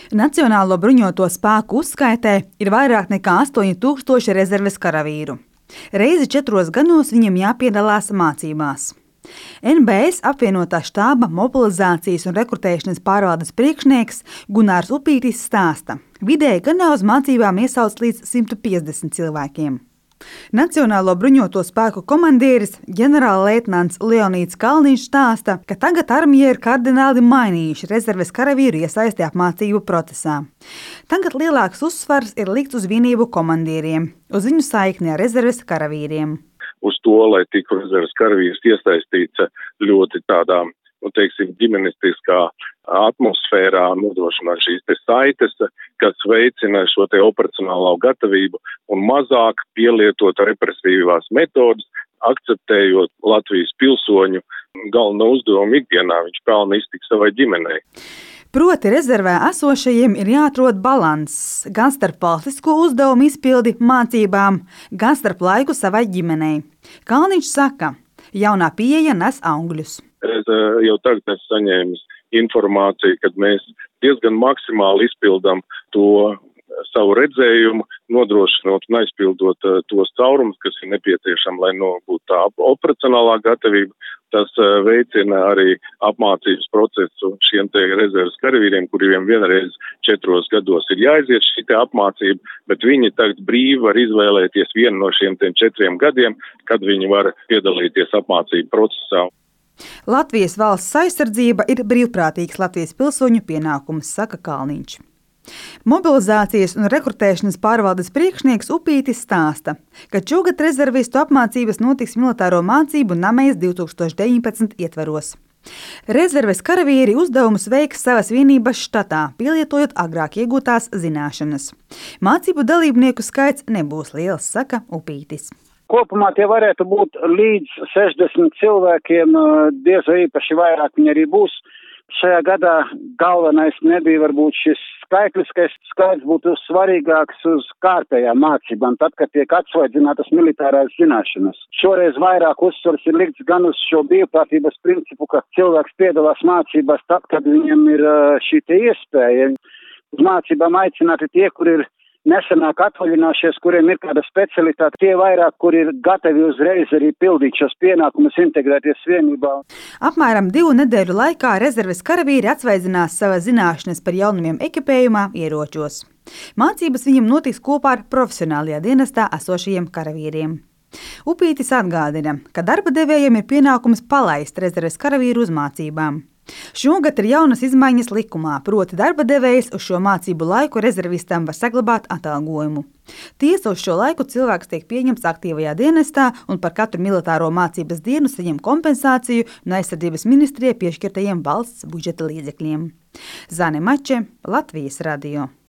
Nacionālo bruņoto spēku uzskaitē ir vairāk nekā 8000 rezerves karavīru. Reizi 4 gados viņiem jāpiedalās mācībās. NBS apvienotā štāba mobilizācijas un rekrutēšanas pārvaldes priekšnieks Gunārs Upītis stāsta, vidēji gadā uz mācībām iesauc līdz 150 cilvēkiem. Nacionālo bruņoto spēku komandieris ģenerālleitnants Leonīds Kalniņš stāsta, ka tagad armija ir kardināli mainījuši rezerves karavīru iesaisti apmācību procesā. Tagad lielāks uzsvars ir likts uz vienību komandieriem, uz viņu saikni ar rezerves karavīriem. Uz to, lai tiktu rezerves karavīrs iesaistīts ļoti tādā, ģimenistiskā atmosfērā, nodrošināt šīs saites, kas veicina šo operacionālo gatavību un mazāk pielietot represīvās metodas, akceptējot Latvijas pilsoņu galveno uzdevumu ikdienā, viņš pelna iztikt savai ģimenei. Proti rezervē esošajiem ir jāatrod balanss gan starp valstisko uzdevumu izpildi mācībām, gan starp laiku savai ģimenei. Kalniņš saka, jaunā pieeja nes augļus. Es jau tagad esmu saņēmis informāciju, kad mēs diezgan maksimāli izpildam to savu redzējumu, nodrošinot un aizpildot tos caurumus, kas ir nepieciešami, lai būtu tā operacionālā gatavība. Tas veicina arī apmācības procesu šiem rezerves karavīriem, kuriem vienreiz 4 gados ir jāiziet šī apmācība, bet viņi tagad brīvi var izvēlēties vienu no šiem 4 gadiem, kad viņi var piedalīties apmācību procesā. Latvijas valsts aizsardzība ir brīvprātīgs Latvijas pilsoņu pienākums, saka Kalniņš. Mobilizācijas un rekrutēšanas pārvaldes priekšnieks Upītis stāsta, ka šogad rezervistu apmācības notiks militāro mācību Namejas 2019 ietvaros. Rezerves karavīri uzdevumus veiks savas vienības štatā, pielietojot agrāk iegūtās zināšanas. Mācību dalībnieku skaits nebūs liels, saka Upītis. Kopumā tie varētu būt līdz 60 cilvēkiem, diez vai īpaši vairāk viņi arī būs. Šajā gadā galvenais nebija varbūt šis skaitliskais skaits, būtu svarīgāks uz kārtējām mācībām, tad, kad tiek atsvaidzinātas militārās zināšanas. Šoreiz vairāk uzsvars ir likts gan uz šo brīvprātības principu, ka cilvēks piedalās mācībās tad, kad viņam ir šī iespēja. Uz mācībām aicināti tie, kur ir nesenāk atvaļinājušies, kuriem ir kāda specialitāte, tie vairāk, kur ir gatavi uzreiz arī pildīt šos pienākumus, integrēties vienībā. Apmēram 2 nedēļu laikā rezerves karavīri atsvaidzinās savas zināšanas par jaunumiem ekipējumā, ieročos. Mācības viņam notiks kopā ar profesionālajā dienestā esošajiem karavīriem. Upītis atgādina, ka darba devējiem ir pienākums palaist rezerves karavīru uz mācībām. Šogad ir jaunas izmaiņas likumā, proti darba devējs uz šo mācību laiku rezervistam var saglabāt atalgojumu. Tiesa uz šo laiku cilvēks tiek pieņemts aktīvajā dienestā un par katru militāro mācības dienu saņem kompensāciju no aizsardzības ministrijai piešķirtajiem valsts budžeta līdzekļiem. Zane Mače, Latvijas radio.